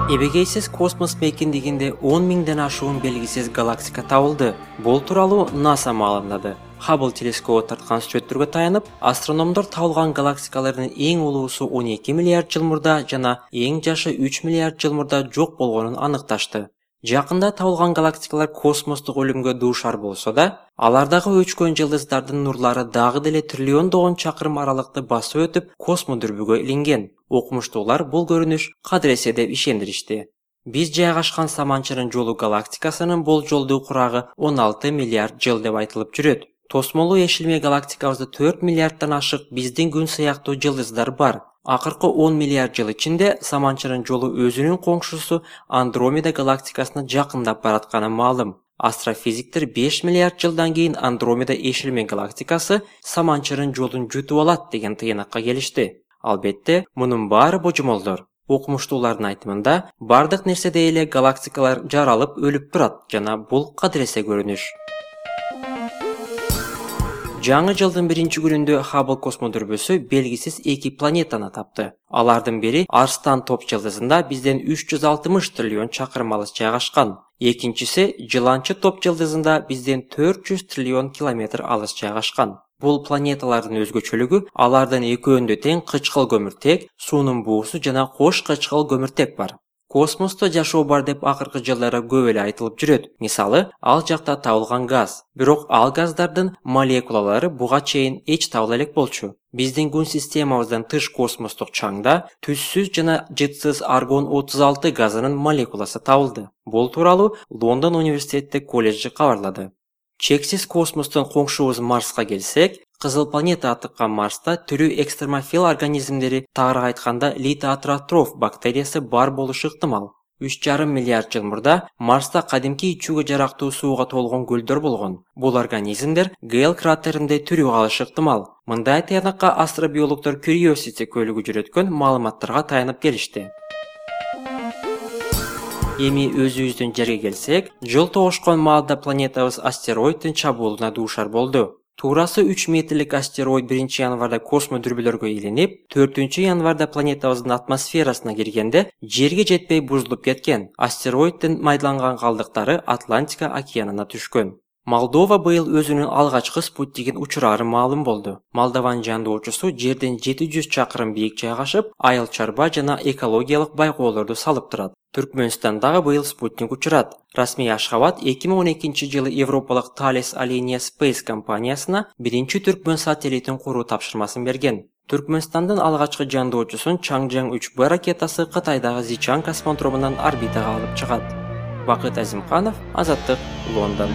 Эбегейсиз космос мекендигинде 10 миңден ашуун белгисиз галактика табылды. Бул тууралуу НАСА маалымдады. Хаббл телескобу тарткан сүрөттөргө таянып, астрономдор табылган галактикалардын эң улуусу 12 миллиард жыл мурда жана эң жашы 3 миллиард жыл мурда жок болгонун аныкташты. Жакында табылган галактикалар космостук өлүмгө дуушар болсо да, алардагы өчкөн жылдыздардын нурлары дагы деле триллиондогон чакырым аралыкты басып өтүп, космодүрбүгө илинген. Окумуштуулар бул көрүнүш кадыресе деп ишендиришти. Биз жайгашкан Саманчырын жолу галактикасынын болжолдуу курагы 16 миллиард жыл деп айтылып жүрөт. Тосмолуу Эшилме галактикабызда 4 миллиарддан ашык биздин күн сыяктуу жылдыздар бар. Акыркы 10 миллиард жыл ичинде Саманчырын жолу өзүнүн коңшусу Андромеда галактикасына жакындап баратканы маалым. Астрофизиктер 5 миллиард жылдан кийин Андромеда Эшилме галактикасы Саманчырын жолун жутуп алат деген тыйнакка келишти. Албетте, мунун баары божомолдор. Окумуштуулардын айтымында, бардык нерседе эле галактикалар жаралып өлүп турат жана бул кадыресе көрүнүш. Жаңы жылдын 1-күнүндө Хаббл космодүрбөсү белгисиз 2 планетаны тапты. Алардын бири Арстан топ жылдызында бизден 360 триллион чакырым алыс жайгашкан. Экинчиси Жыланчы топ жылдызында бизден 400 триллион километр алыс жайгашкан. Бул планеталардын өзгөчөлүгү алардын экөөндө тең кычкыл көмүртек, суунун буусу жана кош кычкыл көмүртек бар. Космосто жашоо бар деп акыркы жылдары көп эле айтылып жүрөт. Мисалы, ал жакта табылган газ. Бирок ал газдардын молекулалары буга чейин эч табыла элек болчу. Биздин күн системабыздан тыш космостук чаңда түзсүз жана жытсыз аргон 36 газынын молекуласы табылды. Бул тууралуу Лондон университети колледжи кабарлады. Чексиз космостон коңшубуз Марска келсек, кызыл планета атыккан Марста түрү экстремофил организмдери, тагыраак айтканда литотроф бактериясы бар болушу ыктымал. 3,5 миллиард жыл мурда Марста кадимки ичүүгө жарактуу сууга толгон көлдөр болгон. Бул организмдер Гейл кратеринде тирүү калышы ыктымал. Мындай тыянакка астробиологдор Curiosity көлүгү жүрөткөн маалыматтарга таянып келишти. Эми өзүбүздүн жерге келсек, жыл тогушкан маалда планетабыз астероиддин чабуулуна дуушар болду. Туурасы 3 метрлик астероид 1-январда космодүрбөлөргө илинип, 4-январда планетабыздын атмосферасына киргенде жерге жетпей бузулуп кеткен. Астероиддин майдаланган калдыктары Атлантика океанына түшкөн. Молдова быйыл өзүнүн алгачкы спутнигин учурары маалым болду. Молдованын жандоочусу жерден 700 чакырым бийик жайгашып, айыл чарба жана экологиялык байкоолорду салып турат. Түркмөнстандагы быйыл спутник учурат. Расмий Ашхабад 2012-жылы Европалык Thales Alenia Space компаниясына 1-Түркмөн сателлитин куруу тапшырмасын берген. Түркмөнстандын алгачкы жандоочусун Чаңжаң 3Б ракетасы Кытайдагы Зичан космодромунан орбитага алып чыгат. Бакыт Азимканов, Азаттык, Лондон.